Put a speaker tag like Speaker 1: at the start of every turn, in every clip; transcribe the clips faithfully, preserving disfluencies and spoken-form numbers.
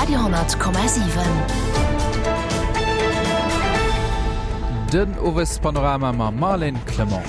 Speaker 1: Radio honnert Komma siwen.
Speaker 2: Den Owespanorama mam Marlène Clement.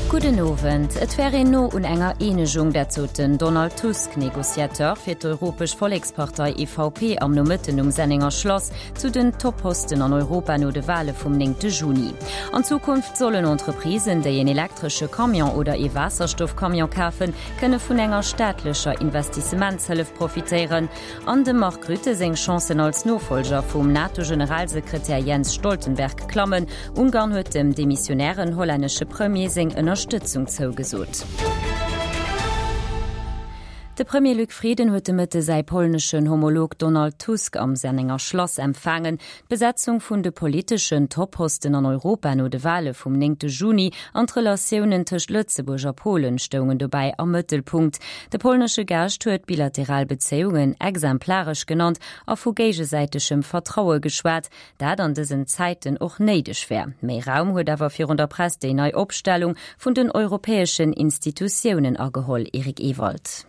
Speaker 3: Gudden Owend. Et wär een no un enger Eenegung, dat sot den Donald Tusk, Negociateur fir d'Europesch Vollekspartei, E V P, am Nomëtten um Sennenger Schlass zu den Topposten an Europa no de Wale vum néngte Juni. An Zukunft sollen Entreprisen, déi en elektresche Camion oder ee Waasserstoffcamion kafen, kënne vun enger staatlecher Investissementshëllef profitéieren. An dem Mark Rutte seng Chancen als Nofollger vum NATO-Generalsekretär Jens Stoltenberg klammen. Ungarn huet dem demissionären hollännesche Premier seng Ënnerstëtzung zougesot. De Premier Luc Frieden huet de Mëtte säi polneschen Homolog Donald Tusk am Sennenger Schlass empfaangen. D'Besetzung vun de politeschen Topposten an Europa no de Wale vum néngte Juni an d'Relatiounen tëscht Lëtzebuerg a Polen stoungen dobäi am Mëttelpunkt. De polnesche Gaascht huet bilateral Bezéiungen exemplaresch genannt a vu géigesäitegem Vertraue geschwat, dat an dësen Zäiten och néideg wär. Méi Raum huet awer virun der Press déi nei Opstellung vun den europäeschen Institutiounen ageholl, Eric Ewald.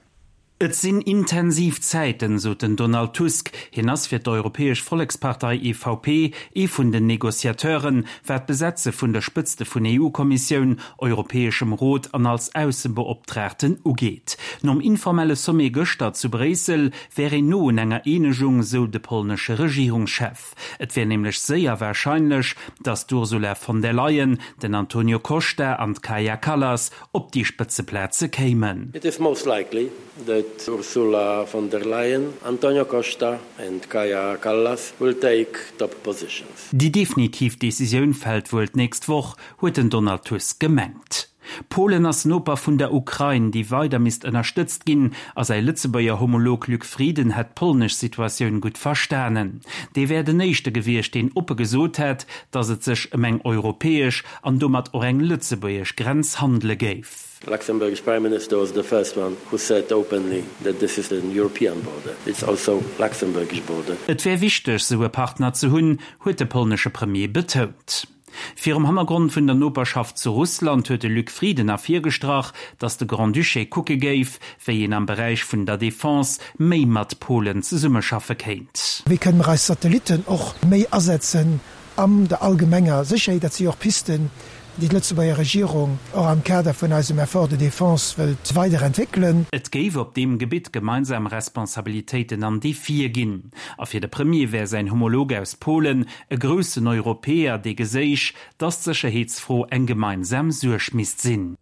Speaker 4: Et sinn intensiv Zäiten, sot den Donald Tusk. Hien ass fir d'Europäesch Vollekspartei E V P ee vun den Negociateuren, wat d'Besetze vun der Spëtzte vun E U-Kommissioun, Europäeschem Rot an als Aussebeoptraagten ugeet. Nom informelle Sommet gëschter zu Bréissel wär een no un enger Eenegung, sou de polnesche Regierungschef. Et wär nämlech séier warscheinlech, datt d'Ursula von der Leyen, den Antonio Costa an d'Kaja Kallas op déi Spëtzeplaze kéimen.
Speaker 5: It is most likely that Ursula von der Leyen, Antonio Costa and Kaja Kallas will take top positions.
Speaker 4: Déi definitiv Decisioun fält wuel d'nächst Woch, huet den Donald Tusk gemengt. Polen ass Noper vun der Ukrain, déi weider misst ënnerstëtzt ginn, a säi Lëtzebuerger Homolog Luc Frieden hätt d'polnesch Situatioun gutt verstanen. Dee wär den éischte gewiescht, deen oppe gesot hätt, datt et sech ëm eng europäesch an domat och eng lëtzebuergesch Grenz handele géif.
Speaker 5: Luxembourg's Prime Minister was the first one who said openly that this is an European border. It's also Luxembourgish border.
Speaker 4: Et wär wichteg, sou e Partner ze hunn, huet de polnesche Premier betount. Virum Hannergrond vun der Noperschaft zu Russland huet de Luc Frieden ervirgestrach, datt de Grand-Duché kucke géif, wéi een am Beräich vun der Defense méi mat Polen zesummeschaffe kéint.
Speaker 6: Wéi kënne mer eis Satellitten och méi asetzen an der allgemenger Sécherheet? Dat si och Pisten, déi d'Lëtzebuerger Regierung och am Kader vun eisem Effort de défense wëllt weiderentwéckelen.
Speaker 4: Et géif op deem Gebitt gemeinsam Responsabilitéiten an Defie ginn. A fir de Premier wär säin Homolog aus Polen e groussen Europäer, dee geséich, datt d'Sécherheetsfro eng gemeinsam Suerg misst sinn.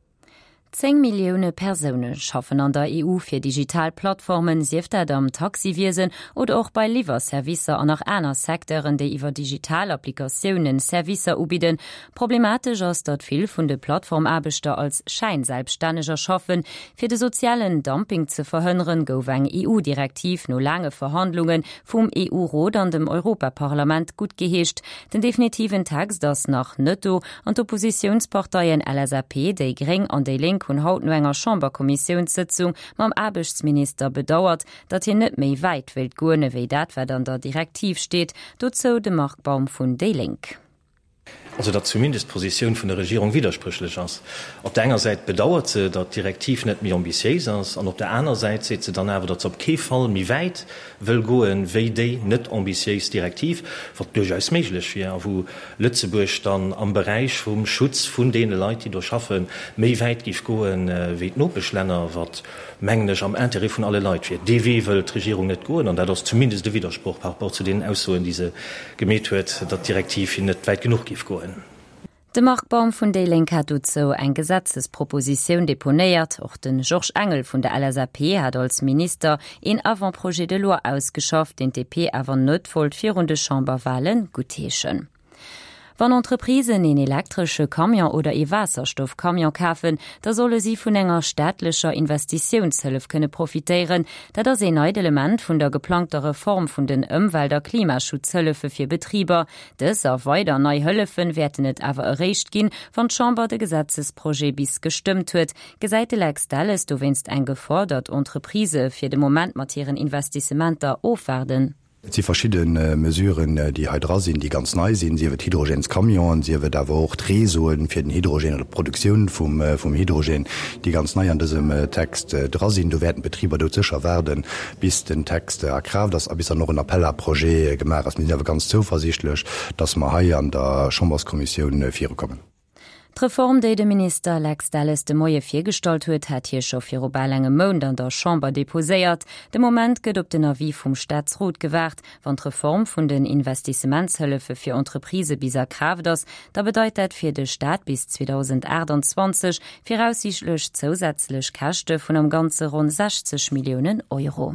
Speaker 3: Zéng Millioune Persoune schaffen an der E U fir digital Plattformen, sief dat am Taxiwiesen oder och bei Liwwerservicer an nach aner Secteuren, déi iwwer digital Applikatiounen Servicer ubidden. Problematesch ass, datt vill vun de Plattformaarbechter als Schäinselbststänneger schaffen. Fir de sozialen Dumping ze verhënneren, gouf eng E U-Direktiv no laange Verhandlunge vum E U-Rot an dem Europaparlament guttgeheescht. Den definitiven Text ass nach net do an d'Oppositiounsparteien L S A P, déi Gréng an déi Lénk hunn haut no enger Chamberkommissiounssëtzung mam Aarbechtsminister bedauert, datt hien net méi wäit wéilt goen ewéi dat, wat an der Direktiv steet. Dozou de Marc Baum vun déi Lénk.
Speaker 7: Also datt zumindest d'Positioun vun der Regierung widderspréchlech ass. Op der enger Säit bedauert se, datt d'Direktiv net méi ambitiéis ass, an op der aner Säit seet se dann awer, datt se op kee Fall méi wäit wëll goen, wéi déi net ambitiéis Direktiv, wat duerchaus méiglech wier a wou Lëtzebuerg dann am Beräich vum Schutz vun deene Leit, déi do schaffen, méi wäit géif goen, wéi d'Nopeschlänner, wat, mengen ech, am Interêt vun alle Leit wier. Dee Wee wëll d'Regierung net goen, an dat ass zumindest e Widdersproch par rapport zu deenen Aussoen, déi se gemeet huet, datt d'Direktiv net wäit genuch géif goen.
Speaker 3: De Marc Baum vun déi Lénk hat dozou eng Gesetzespropositioun deponéiert. Och de Georges Engel vun der L S A P hat als Minister een Avant-projet de loi ausgeschafft, deen d'D P awer net wollt virun de Chamberwale guttheeschen. Wann Entreprisen een elektresche Camion oder ee Waasserstoffcamion kafen, da solle si vun enger staatlecher Investitiounshëllef kënne profitéieren. Dat ass een neit Element vun der geplangter Reform vun den Ëmwelt- a Klimaschutzhëllefe fir Betriber. Dës a weider nei Hëllefen wäerten et awer eréischt ginn, wann d'Chamber de Gesetzesprojet bis gestëmmt huet. Gesäit de Lex Delles dowéinst eng Gefor, datt Entreprisë fir de Moment mat hiren Investissementer ofwaarden?
Speaker 1: Et si verschidde Mesuren, déi hei dra sinn, déi ganz nei sinn, sief et Hydrogènescamionen, sief et awer och d'Réseauen fir den Hydrogène oder d'Produktioun vum vum Hydrogène, déi ganz nei an dësem Text dra sinn. Do wäerten d'Betriber doudsécher waarden, bis den Text a Kraaft ass a bis dann och en Appel à projets gemaach ass. Mir sinn awer ganz zouversiichtlech, dass mer hei an der Chamberskommissioun virukommen.
Speaker 3: D'Reform, déi de Minister Lex Delles de Moie virgestallt huet, hat hie scho viru bal engem Mount an der Chamber deposéiert. De Moment gëtt op den Avis vum Staatsrot gewaart. Wann d'Reform vun den Investissementshëllefe fir Entreprisë bis a Kraaft ass, da bedeit dat fir de Staat bis zweedausendachtanzwanzeg viraussiichtlech zousätzlech Käschte vun am Ganze ronn sechzeg Milliounen Euro.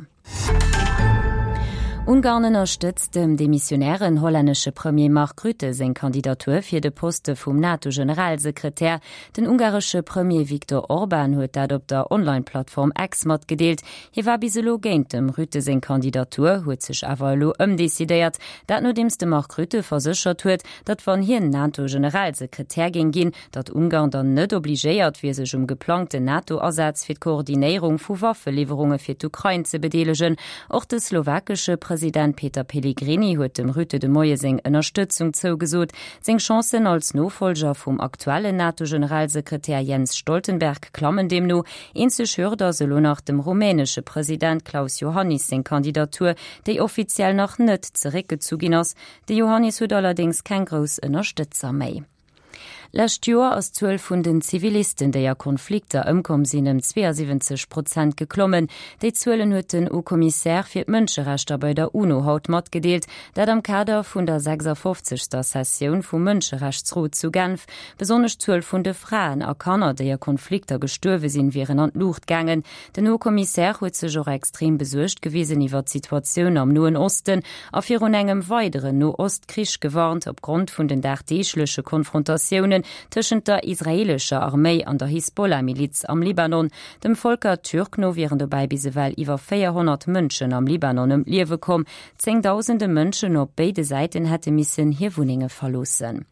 Speaker 3: Ungarn ënnerstëtzt dem demissionären hollännesche Premier Mark Rutte seng Kandidatur fir de Poste vum NATO-Generalsekretär. Den ungaresche Premier Viktor Orban huet dat op der Online-Plattform X matgedeelt. Hie war bis elo géint dem Rutte seng Kandidatur, huet sech awer elo ëmdecidéiert. Dat nodeems de Mark Rutte verséchert huet, datt wann hien NATO-Generalsekretär géing ginn, datt Ungarn dann net obligéiert wier sech um geplangten NATO-Asaz fir d'Koordinéierung vu Waffeliwwerunge fir d'Ukrain ze bedeelegen. Och de slowakesche President Peter Pellegrini huet dem Rutte de Moie seng Ënnerstëtzung zougesot. Seng Chancen als Nofollger vum aktuellen NATO-Generalsekretär Jens Stoltenberg klammen deemno. Eenzeg Hürd ass elo nach dem rumänesche President Klaus Iohannis seng Kandidatur, déi offiziell nach net zeréckgezu ginn ass. De Iohannis huet allerdéngs keng grouss Ënnerstëtzer méi. Lescht Joer ass d'Zuel vun den Zivilisten, déi a Konflikter ëmkomm sinn, ëm zweeënsiwwenzeg Prozent geklommen. Déi Zuelen huet den Haut-Commissaire fir d'Mënscherechter bei der UNO haut matgedeelt. Dat am Kader vun der sechsundfünfzigster Sessioun vum Mënscherechtsrot zu Genf. Besonnesch d'Zuel vun de Fraen a Kanner, déi a Konflikter gestuerwe sinn, wieren an d'Luucht gaangen. Den Haut-Commissaire huet sech och extrem besuergt gewisen iwwer d'Situatioun am Noen Osten a virun engem weideren No-Ost-Krich gewarnt, opgrond vun den dagdeegleche Konfrontatiounen tëschent der israeelescher Arméi an der Hisbollah-Miliz am Libanon. Dem Volker Türk no wieren dobäi bis ewell iwwer véierhonnert Mënschen am Libanon ëm d'Liewe komm. Zéngdausende Mënschen op béide Säiten hätte missen hir Wunnenge verloossen.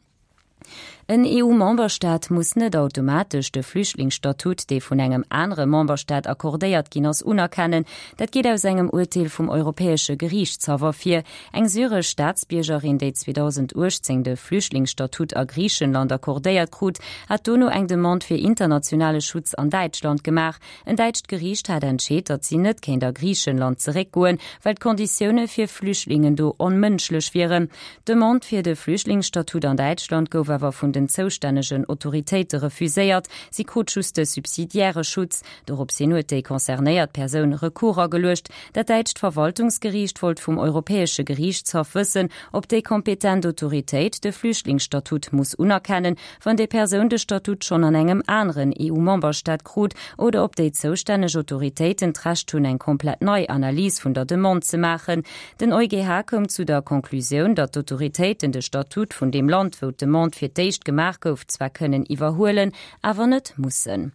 Speaker 3: En E U-Memberstaat muss net automatesch de Flüchtlingsstatut, dee vun engem anere Memberstaat accordéiert ginn ass, unerkennen. Dat geet aus engem Urteel vum Europäesche Geriichtshaff ervir. Eng syresch Staatsbiergerin, déi zweedausendachtzéng de Flüchtlingsstatut a Griichenland accordéiert krut, hat dono eng Demande fir internationale Schutz an Däitschland gemaach. En däitscht Geriicht hat entscheet, datt si net kéint a Griichenland zeréckgoen, well d'Konditioune fir Flüchtlingen do onmënschlech wieren. D'Demande fir de Flüchtlingsstatut an Däitschland gouf awer vun den zoustännegen Autoritéite refuséiert, si krut just de subsidiäre Schutz. Dorops hin huet déi concernéiert Persoun Recours ageluecht. Dat däitscht Verwaltungsgeriicht wollt vum Europäesche Geriichtshaff wëssen, ob déi kompetent Autoritéit de Flüchtlingsstatut muss unerkennen, wann déi Persoun de Statut schonn an engem aneren E U-Memberstaat krut, oder ob déi zoustänneg Autoritéiten d'Recht hunn, eng komplett nei Analys vun der Demande ze maachen. Den E U G H koum zu der Conclusioun, datt d'Autoritéiten de Statut vun deem Land, wou d'Demande fir d'éischt gemaach gouf, zwar kënnen iwwerhuelen, awer net mussen.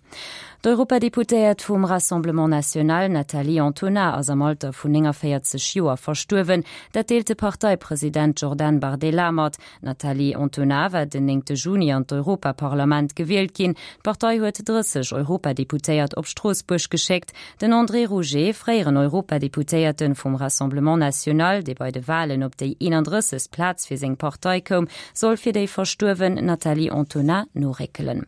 Speaker 3: D'Europadeputéiert vum Rassemblement National Nathalie Antonin ass am Alter vun neunundvierzig Joer verstuerwen. Dat deelt de Parteipresident Jordan Bardella mat. Nathalie Antonin war den neunten Juni an d'Europaparlament gewielt ginn. D'Partei huet dreißig Europadeputéiert op Stroossbuerg geschéckt. Den André Rouget, fréieren Europadeputéierten vum Rassemblement National, dee bei de Wahlen op déi einunddreißigste Plaz fir seng Partei koum, soll fir déi verstuerwen Nathalie Antonin noréckelen.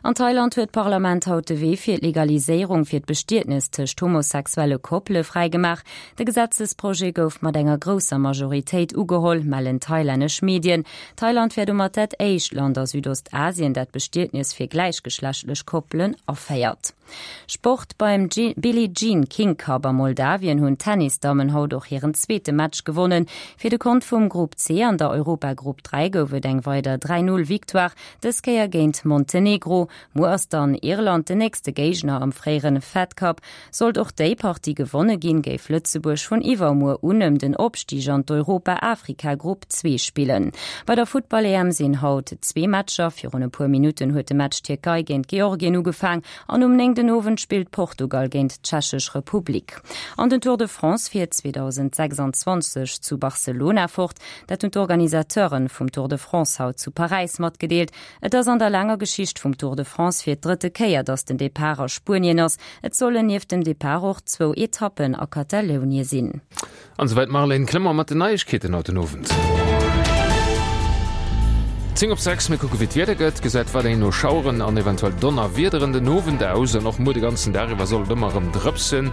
Speaker 3: An Thailand huet d'Parlament haut de Wee fir d'Legaliséierung fir d'Bestietnis tëscht homosexuelle Koppele fräigemaach. De Gesetzesprojet gouf mat enger grousser Majoritéit ugeholl, mellen thailännesch Medien. Thailand wär domat dat éischt Land a Südostasien, dat d'Bestietnis fir gläichgeschlechtlech Koppelen aféiert. Sport beim G-, Billie Jean King Cup a Moldawien hunn Tennisdammen haut och hiren zweete Match gewonnen. Fir de Kont vum Grupp C an der Europagrupp dräi gouf et eng weider dräi null Victoire, dës Kéier géint Montenegro. Muer ass dann Irland den nächste Géigner am fréieren Fed Cup. Sollt och déi Partie gewonne ginn, géif Lëtzebuerg vun iwwermuer un ëm den Opstig an d'Europa-Afrika-Grupp zwee spillen. Bei der Futtball-E M sinn haut zwee Matcher. Virun e puer Minuten huet de Match Tierkei géint Georgien ugefaang an um néngten Owend spillt Portugal géint d'Tschechesch Republik. An den Tour de France fiert zweitausendsechsundzwanzig zu Barcelona fort. Dat hunn d'Organisateuren vum Tour de France haut zu Paräis matgedeelt. Et ass an der laanger Geschicht vum Tour de de France fir d'drëtte Kéier, datt den Depart a Spuenien ass. Et sollen nieft dem Depart och zwou Etappen a Katalounie sinn.
Speaker 8: An esouwäit d'Marlène Clement mat den Neiegkeeten haut den Owend. Zéng op sechs, mir kucke wéi d'Wieder gëtt. Gesäit weiderhin no Schaueren an eventuell Donnerwiederen den Owend aus an och muer de ganzen Dag iwwer soll et ëmmer erëm drëpsen.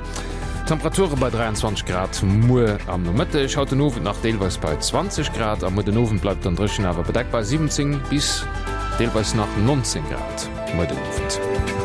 Speaker 8: Temperature bei dräianzwanzeg Grad muer am Nomëtteg, haut den Owend nach deelweis bei zwanzeg Grad a muer den Owend bleift dann dréchen awer bedeckt bei siwwenzéng bis deelweis nach nonzéng Grad muer den Owend.